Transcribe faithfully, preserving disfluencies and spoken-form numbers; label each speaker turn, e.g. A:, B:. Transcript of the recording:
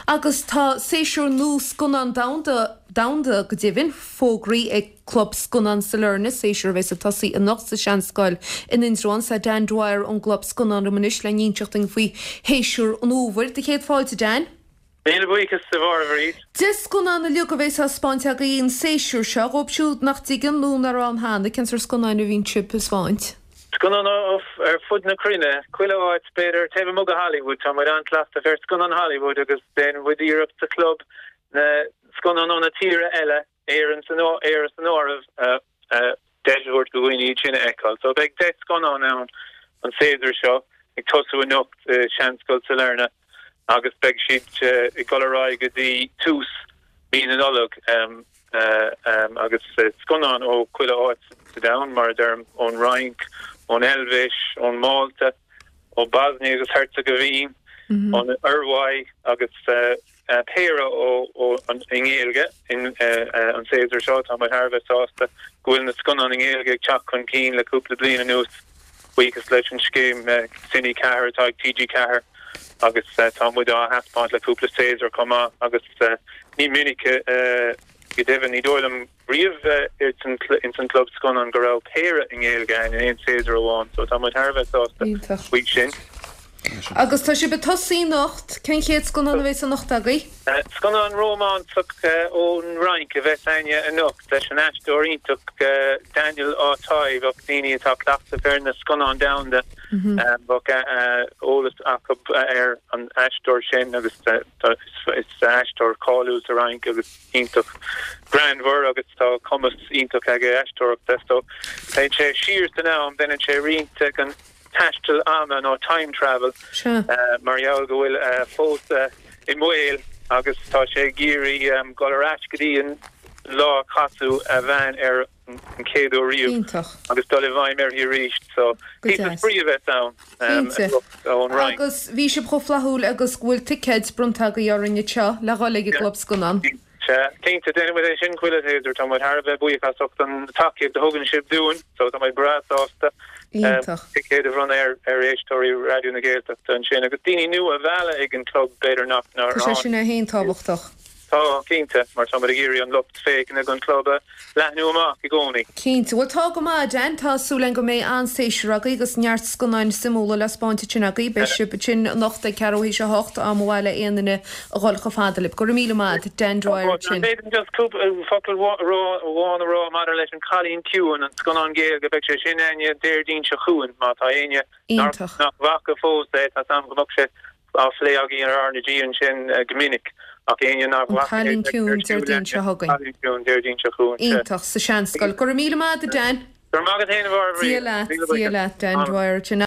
A: Agus tá séasúr nua scannán domhanda domhanda go deimhin fógraithe ag Club Scannán Sailearna séasúr a bheas ag tosaí anocht sa Seanscoil in Indreabhán tá Dan Dwyer ón gClub Scannán anois le n-inseacht dúinn faoi shéasúr an fhómhair do chéad fáilte Dan.
B: Míle buíochas a Mháire.
A: Deich scannán uilig a bheas á spáint agaibh an séasúr seo dhóibh siúd nach dtuigeann nó nach raibh ann cheana cén sórt scannáin a bhíonn sibh a spáint.
B: Scannán ar fud na cruinne, chuile áit b'fhéidir taobh amuigh de Hollywood tá muid an-chleachtach ar scannán Hollywood agus déanann muid iarracht sa club na scannán ó na tíortha eile Éireann san Éire san áireamh deis a thabhairt do dhaoine iad sin a fheiceáil. So beidh deich scannán ann an séasúr seo ag tosú anocht Seanscoil Sailearna agus beidh siad ag dul ar aghaidh go dtí tús mí na Nollag um, uh, um, agus uh, scannán ó chuile áit sa domhan mar a deirim ón Fhrainc, ón Eilvéis, ón Málta, ó Bosnia agus Herzegovina, mm -hmm. ón Ioruaidh agus uh, uh, péire ó ó an i nGaeilge in uh, uh, an séasúr seo tá muid thar a bheith sásta go bhfuil na scannáin i nGaeilge ag teacht chun cinn le cúpla bliain anuas buíochas leis an scéim uh, Cine Ceathair atá ag TG Ceathair agus uh, tá muid á thaispeáint le cúpla séasúr chomh maith agus uh, ní minic uh, go deimhin ní dóigh liom riamh in san club scannán go raibh péire i nGaeilge in aon séasúr amháin, so tá muid thar a bheith sásta faoi sin.
A: Agus tá sibh ag tosaí anocht cén chéad scannán a bheas anocht agaibh?
B: Scannán rómánsach ón Fhrainc a bheas againne anocht leis an aisteoir iontach Daniel Auteuil bheadh daoine atá cleachtach ar na scannáin domhanda bheadh eolas acu ar an aisteoir sin agus is aisteoir cáiliúil sa Fhrainc agus iontach greannmhar agus tá cumas iontach aige aisteoireachta so téann sé siar san am déanann sé roinnt an taisteal ama nó time travel uh, mar gheall go bhfuil uh, pósadh i mbaol agus tá sé ag iarraidh um, dul ar ais go dtí an lá a casadh a bhean ar an chéad uair riamh agus dul i bhfeidhm uirthi arís so spraoi a bheas ann um,
A: agus bhí sibh chomh flaithiúil agus go bhfuil ticéid bronnta agaibh orainn anseo le dhul ag an gclub scannán.
B: Cinnte déanaimid é sin chuile shéasúr tá muid thar a bheith buíoch as ucht an tacaíocht a thugann sibh dúinn, so tá muid breá sásta ticéid a bhronnadh ar ar éisteoirí Raidió na Gaeltachta ansin agus daoine nua a mhealladh ag an club b'fhéidir nach ná
A: Tá sé sin é féin tábhachtach.
B: Tá cinnte mar tá muid ag iarraidh an lucht féachana don club a leathnú amach i gcónaí.
A: Cinnte bhfuil tá go maith Dan tá súil againn go mbeidh an-séasúr agaibh agus neart scannáin suimiúla le spáint ansin agaibh beidh sibh ansin anocht ag ceathrú théis a hocht am bhaile aon duine a dhul chomh fada libh. Go raibh míle maith Dan Dwyer sin.
B: Just focal amháin a rá maidir leis an Cailín Ciúin an scannán Gaeilge beidh sé sin againne Déardaoin seo chugainn má tá éinne nach bhfaca fós é tá am go mbeadh sé á phlé againn ar R na G ansin go minic ach éinne nach
A: Cailín Ciúin Déardaoin seo chugainn.
B: Ciúin Déardaoin seo chugainn.
A: Iontach sa Seanscoil. Go raibh míle maith Dan.
B: Gur maith
A: Dia leat Dan Dwyer sin.